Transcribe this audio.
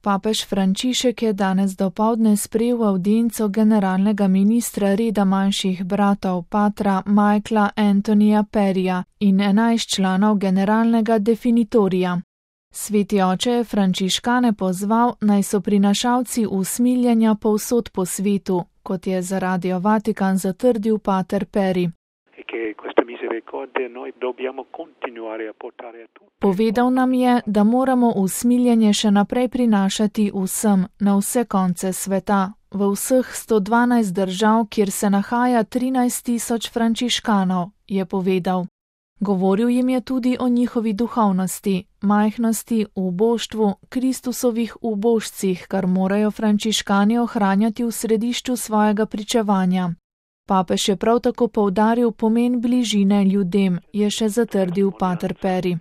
Papež Frančišek je danes dopoldne sprejel avdienco generalnega ministra reda manjših bratov patra Michaela Antonija Perija in 11 članov generalnega definitorija. Sveti oče je frančiškane pozval, naj so prinašalci usmiljenja povsod po svetu, kot je za Radio Vatikan zatrdil pater Peri. Povedal nam je, da moramo usmiljenje še naprej prinašati vsem, na vse konce sveta, v vseh 112 držav, kjer se nahaja 13.000 frančiškanov, je povedal. Govoril jim je tudi o njihovi duhovnosti, majhnosti, uboštvu, Kristusovih ubožcih, kar morajo frančiškani ohranjati v središču svojega pričevanja. Papež je prav tako poudaril pomen bližine ljudem, je še zatrdil pater Peri.